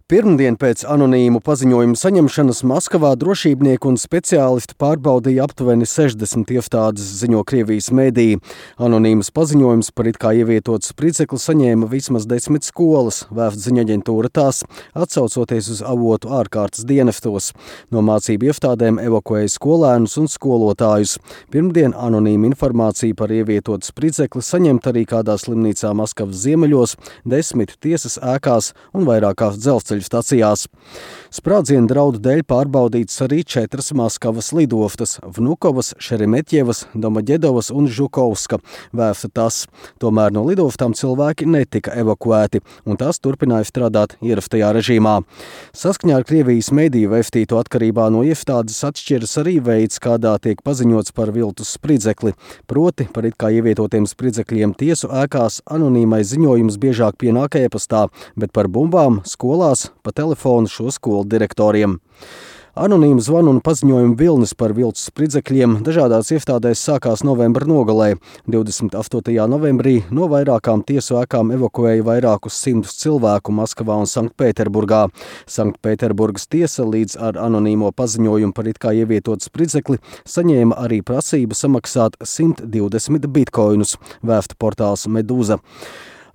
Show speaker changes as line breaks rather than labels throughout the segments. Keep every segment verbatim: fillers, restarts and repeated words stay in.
Pirmdien pēc anonīmu paziņojumu saņemšanas Maskavā drošībnieki un speciālisti pārbaudīja aptuveni sešdesmit iestādes, ziņo Krievijas mēdīji. Anonīmas paziņojums par it kā ievietotu spridzekli saņēma vismaz desmit skolas, vēsta ziņaģentūra tās, atsaucoties uz avotu ārkārtas dienestos. No mācību iestādēm evakuēja skolēnus un skolotājus. Pirmdien anonīma informācija par ievietotu spridzekli saņemta arī kādā slimnīcā Maskavas ziemeļos, desmit tiesas ēkās un vairākās dzelzceļa stacijās. Sprādzienu draudu dēļ pārbaudītas arī četras Maskavas lidostas – Vnukovas, Šeremetjevas, Domoģedovas un Žukovska, vēsta tas. Tomēr no lidostām cilvēki netika evakuēti, un tās turpināja strādāt ierastajā režīmā. Saskaņā ar Krievijas mēdīju vēstīto atkarībā no iestādes atšķiras arī veids, kādā tiek paziņots par viltus spridzekli. Proti, par it kā ievietotiem spridzekļiem tiesu ēkās anonīmais ziņojums biežāk pienāk e-pastā, bet par bumbām skolās pa telefonu šo skolu direktoriem. Anonīma zvanu un paziņojumu vilnis par viltus spridzekļiem dažādās iestādēs sākās novembra nogalē. divdesmit astotajā novembrī no vairākām tiesu ēkām evakuēja vairākus simtus cilvēku Maskavā un Sanktpēterburgā. Sanktpēterburgas tiesa līdz ar anonīmo paziņojumu par it kā ievietotu spridzekli saņēma arī prasību samaksāt simt divdesmit bitkoinus, vēsta portāls Medūza.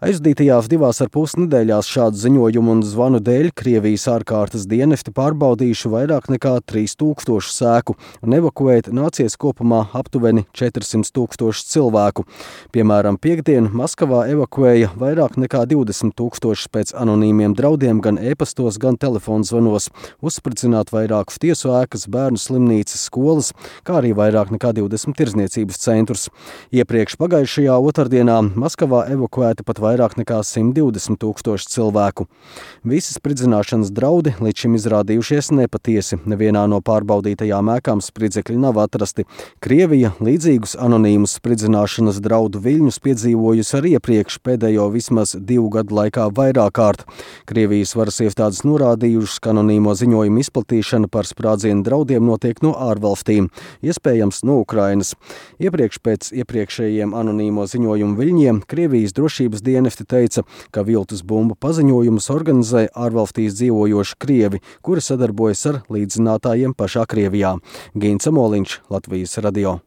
Aizdītajās divās ar pus nedēļās šādu ziņojumu un zvanu dēļ Krievijas ārkārtas dienesti pārbaudījuši vairāk nekā trīs tūkstošu sēku un evakuēt nācies kopumā aptuveni četrsimt tūkstošu cilvēku. Piemēram, piekdien Maskavā evakuēja vairāk nekā divdesmit tūkstošus pēc anonīmiem draudiem gan e-pastos, gan telefonzvanos, uzspridzināt vairākus tiesu ēkas, bērnu slimnīcas, skolas, kā arī vairāk nekā divdesmit tirdzniecības centrus. Iepriekš pagājušajā otrdienā Maskavā evakuēta pat vairāk vairāk nekā simt divdesmit tūkstoši cilvēku. Visi spridzināšanas draudi līdz šim izrādījušies nepatiesi. Nevienā no pārbaudītajām ēkām spridzekļi nav atrasti. Krievija līdzīgus anonīmus spridzināšanas draudu viļņus piedzīvojusi arī iepriekš pēdējo vismaz divu gadu laikā vairāk kārt. Krievijas varas iestādes norādījušas, ka anonīmo ziņojumu izplatīšana par sprādzienu draudiem notiek no ārvalstīm, iespējams no Ukrainas. Iepriekš pēc iepriekšējiem anonīmo ziņojumu viļņiem Krievijas drošības dienesti Dienesti teica, ka viltus bumbu paziņojumus organizē ārvalstīs dzīvojoši krievi, kuri sadarbojas ar līdzzinātājiem pašā Krievijā. Gīns Amoliņš, Latvijas radio.